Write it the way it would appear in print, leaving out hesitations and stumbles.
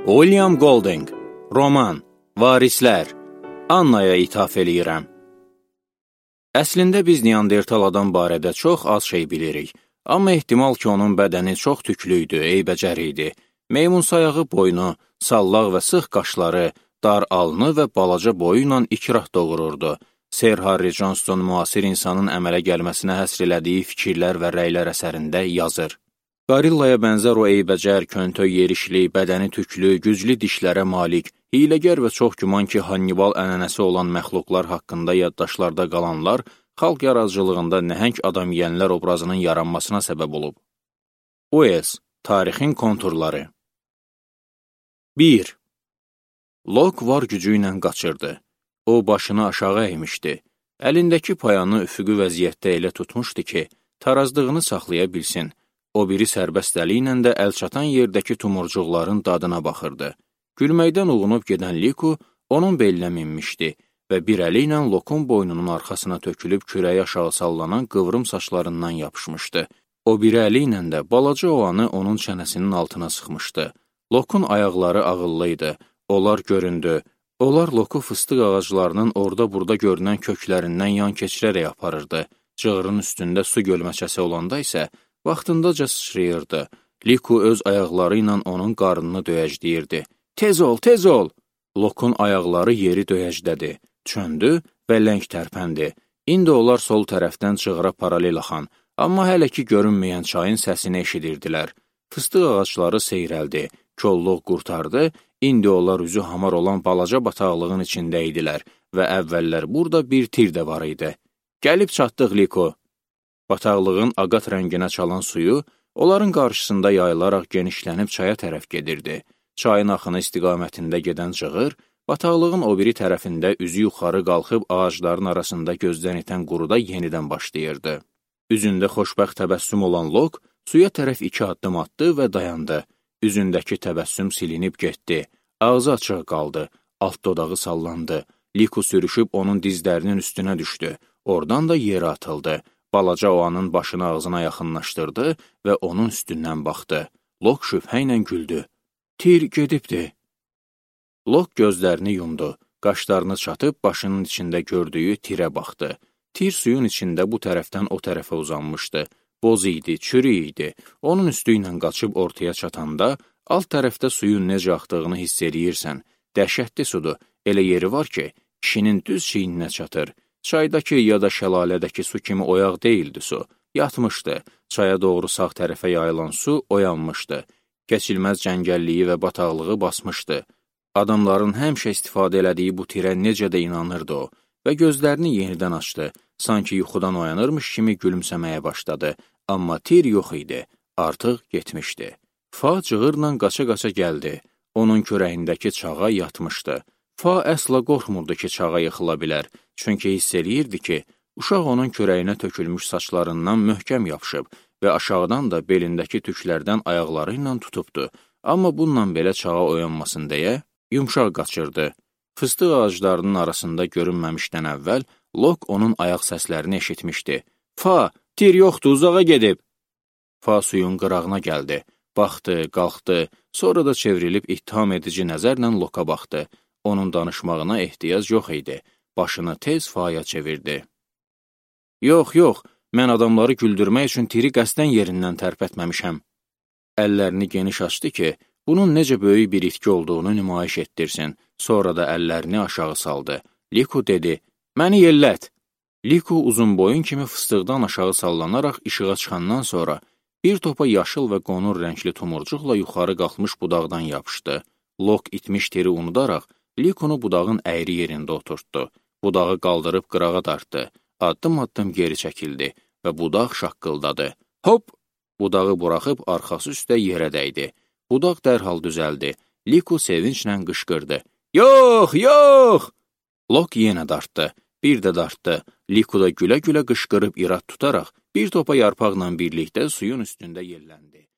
William Golding, roman, Varislər, Annaya ithaf eləyirəm. Əslində biz Neandertal adam barədə çox az şey bilirik, amma ehtimal ki, onun bədəni çox tüklüydü, eybəcər idi. Meymun sayağı boynu, sallaq və sıx qaşları, dar alnı və balaca boyu ilə ikrah doğururdu. Sir Harry Johnston müasir insanın əmələ gəlməsinə həsr elədiyi fikirlər və rəylər əsərində yazır. Qarillaya bənzər o eybəcər, köntöy yerişli, bədəni tüklü, güclü dişlərə malik, hiyləgər və çox güman ki, Hannibal ənənəsi olan məxluqlar haqqında yaddaşlarda qalanlar, xalq yaradıcılığında nəhəng adam yeyənlər obrazının yaranmasına səbəb olub. O.S. Tarixin konturları 1. Lok var gücü ilə qaçırdı. O, başını aşağı əymişdi. Əlindəki payanı üfüqü vəziyyətdə elə tutmuşdu ki, tarazdığını saxlaya bilsin. O biri sərbəst əli ilə də əlçatan yerdəki tumurcuqların dadına baxırdı. Gülməkdən uğunub gedən Liku onun belinə minmişdi və bir əli ilə Lokun boynunun arxasına tökülüb kürəyi aşağı sallanan qıvrım saçlarından yapışmışdı. O biri əli ilə də balaca oğanı onun çənəsinin altına sıxmışdı. Lokun ayaqları ağıllı idi. Onlar göründü. Onlar Loku fıstıq ağaclarının orada-burada görünən köklərindən yan keçirərək aparırdı. Cığırın üstündə su gölməçəsi olanda isə vaxtındaca sıçrayırdı. Liku öz ayaqları ilə onun qarnını döyəcləyirdi. Tez ol, tez ol! Lokun ayaqları yeri döyəclədi. Çöndü və ləng tərpəndi. İndi onlar sol tərəfdən cığıra paralel axan, amma hələ ki görünməyən çayın səsini eşidirdilər. Fıstıq ağacları seyrəldi. Kolluq qurtardı. İndi onlar üzü hamar olan balaca bataqlığın içində idilər və əvvəllər burada bir tir də var idi. Gəlib çatdıq, Liku! Bataqlığın ağat rənginə çalan suyu onların qarşısında yayılaraq genişlənib çaya tərəf gedirdi. Çayın axını istiqamətində gedən cığır, bataqlığın o biri tərəfində üzü yuxarı qalxıb ağacların arasında gözdən itən quruda yenidən başlayırdı. Üzündə xoşbəxt təbəssüm olan Lok suya tərəf 2 addım atdı və dayandı. Üzündəki təbəssüm silinib getdi. Ağzı açıq qaldı. Alt dodağı sallandı. Liku sürüşüb onun dizlərinin üstünə düşdü. Oradan da yerə atıldı. Balaca oğanın başını ağzına yaxınlaşdırdı və onun üstündən baxdı. Lok şübhə ilə güldü. Tir gedibdi. Lok gözlərini yumdu. Qaşlarını çatıb başının içində gördüyü tirə baxdı. Tir suyun içində bu tərəfdən o tərəfə uzanmışdı. Boz idi, çürü idi. Onun üstü ilə qaçıb ortaya çatanda, alt tərəfdə suyun necə axdığını hiss eləyirsən. Dəhşətli sudur. Elə yeri var ki, kişinin düz çiyninə çatır. Çaydakı ya da şəlalədəki su kimi oyaq deyildi su. Yatmışdı. Çaya doğru sağ tərəfə yayılan su oyanmışdı. Keçilməz cəngəlliyi və bataqlığı basmışdı. Adamların həmişə istifadə elədiyi bu tirə necə də inanırdı o və gözlərini yenidən açdı. Sanki yuxudan oyanırmış kimi gülümsəməyə başladı. Amma tir yox idi. Artıq getmişdi. Fa cığırla qaça-qaça gəldi. Onun kürəyindəki çağa yatmışdı. Fa əsla qorxmurdu ki, çağa yıxıla bilər. Çünki hiss eləyirdi ki, uşaq onun kürəyinə tökülmüş saçlarından möhkəm yapışıb və aşağıdan da belindəki tüklərdən ayaqları ilə tutubdu. Amma bununla belə çağa oyanmasın deyə yumşaq qaçırdı. Fıstıq ağaclarının arasında görünməmişdən əvvəl Lok onun ayaq səslərini eşitmişdi. Fa, tir yoxdur, uzağa gedib. Fa suyun qırağına gəldi. Baxdı, qalxdı, sonra da çevrilib ittiham edici nəzərlə Loka baxdı. Onun danışmağına ehtiyac yox idi. Başını tez Faya çevirdi. Yox, yox, mən adamları güldürmək üçün tiri qəsdən yerindən tərpətməmişəm. Əllərini geniş açdı ki, bunun necə böyük bir itki olduğunu nümayiş etdirsin. Sonra da əllərini aşağı saldı. Liku dedi, məni yellət. Liku uzun boyun kimi fıstıqdan aşağı sallanaraq işığa çıxandan sonra bir topa yaşıl və qonur rəngli tumurcuqla yuxarı qalxmış budaqdan yapışdı. Lok itmiş tiri unudaraq, Likunu budağın əyri yerində oturtdu. Budağı qaldırıb qırağa dartdı. Addım-addım geri çəkildi və budaq şaqqıldadı. Hop! Budağı buraxıb arxası üstə yerə dəydi. Budaq dərhal düzəldi. Liku sevinclə qışqırdı. Yox, yox! Lok yenə dartdı. Bir də dartdı. Liku da gülə-gülə qışqırıb irad tutaraq bir topa yarpaqla birlikdə suyun üstündə yelləndi.